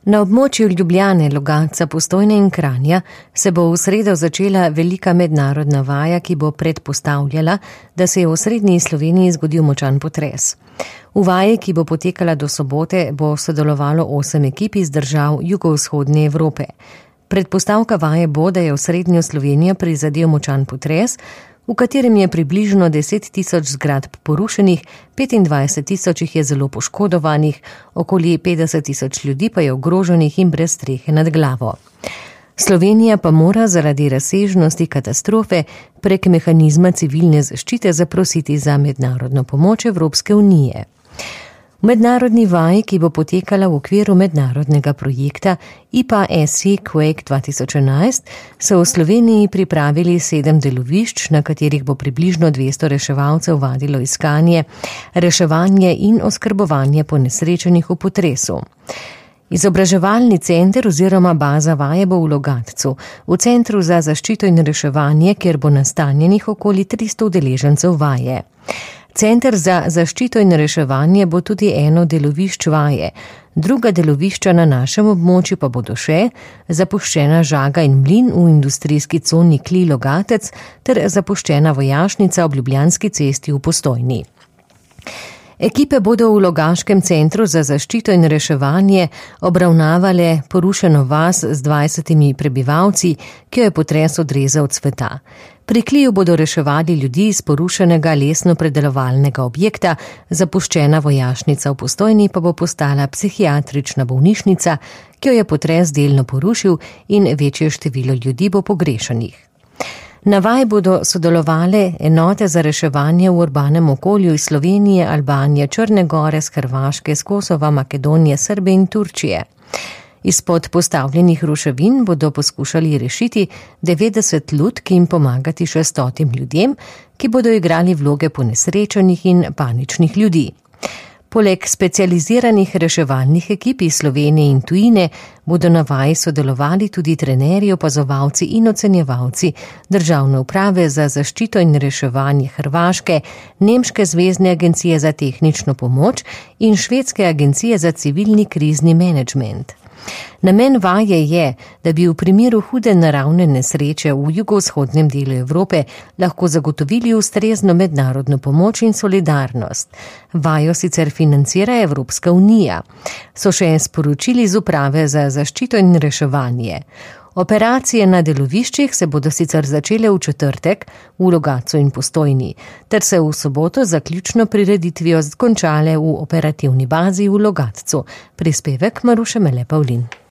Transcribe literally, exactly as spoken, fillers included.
Na območju Ljubljane, Logatca, Postojne in Kranja se bo v sredo začela velika mednarodna vaja, ki bo predpostavljala, da se je v osrednji Sloveniji zgodil močan potres. V vaji, ki bo potekala do sobote, bo sodelovalo osem ekip iz držav jugovzhodne Evrope. Predpostavka vaje bo, da je osrednjo Slovenijo prizadel močan potres, v katerem je približno deset tisoč zgradb porušenih, petindvajset tisoč jih je zelo poškodovanih, okoli petdeset tisoč ljudi pa je ogroženih in brez strehe nad glavo. Slovenija pa mora zaradi razsežnosti katastrofe prek mehanizma civilne zaščite zaprositi za mednarodno pomoč Evropske unije. V mednarodni vaji, ki bo potekala v okviru mednarodnega projekta I P A S I Quake dva tisoč enajst, so v Sloveniji pripravili sedem delovišč, na katerih bo približno dvesto reševalcev vadilo iskanje, reševanje in oskrbovanje ponesrečenih v potresu. Izobraževalni center oziroma baza vaje bo v Logatcu, v Centru za zaščito in reševanje, kjer bo nastanjenih okoli tristo udeležencev vaje. Center za zaščito in reševanje bo tudi eno delovišč vaje. Druga delovišča na našem območju pa bodo še zapuščena žaga in mlin v industrijski coni Kli Logatec ter zapuščena vojašnica ob Ljubljanski cesti v Postojni. Ekipe bodo v Logaškem centru za zaščito in reševanje obravnavale porušeno vas z dvajsetimi prebivalci, ki jo je potres odrezal od sveta. Pri Kliju bodo reševali ljudi iz porušenega lesno-predelovalnega objekta, zapuščena vojašnica v Postojni pa bo postala psihiatrična bolnišnica, ki jo je potres delno porušil in večje število ljudi bo pogrešanih. Na vaji bodo sodelovale enote za reševanje v urbanem okolju iz Slovenije, Albanije, Črne gore, s Hrvaške, s Kosova, Makedonije, Srbije in Turčije. Izpod postavljenih ruševin bodo poskušali rešiti devetdeset lutk in pomagati še stotim ljudem, ki bodo igrali vloge ponesrečenih in paničnih ljudi. Poleg specializiranih reševalnih ekip iz Slovenije in tujine bodo na vaji sodelovali tudi trenerji, opazovalci in ocenjevalci Državne uprave za zaščito in reševanje Hrvaške, Nemške zvezne agencije za tehnično pomoč in Švedske agencije za civilni krizni menedžment. Namen vaje je, da bi v primeru hude naravne nesreče v jugovzhodnem delu Evrope lahko zagotovili ustrezno mednarodno pomoč in solidarnost. Vajo sicer financira Evropska unija, so še sporočili z uprave za zaščito in reševanje. Operacije na deloviščih se bodo sicer začele v četrtek v Logatcu in Postojni, ter se v soboto zaključno prireditvijo končale v operativni bazi v Logatcu. Prispevek Maruše Mele Pavlin.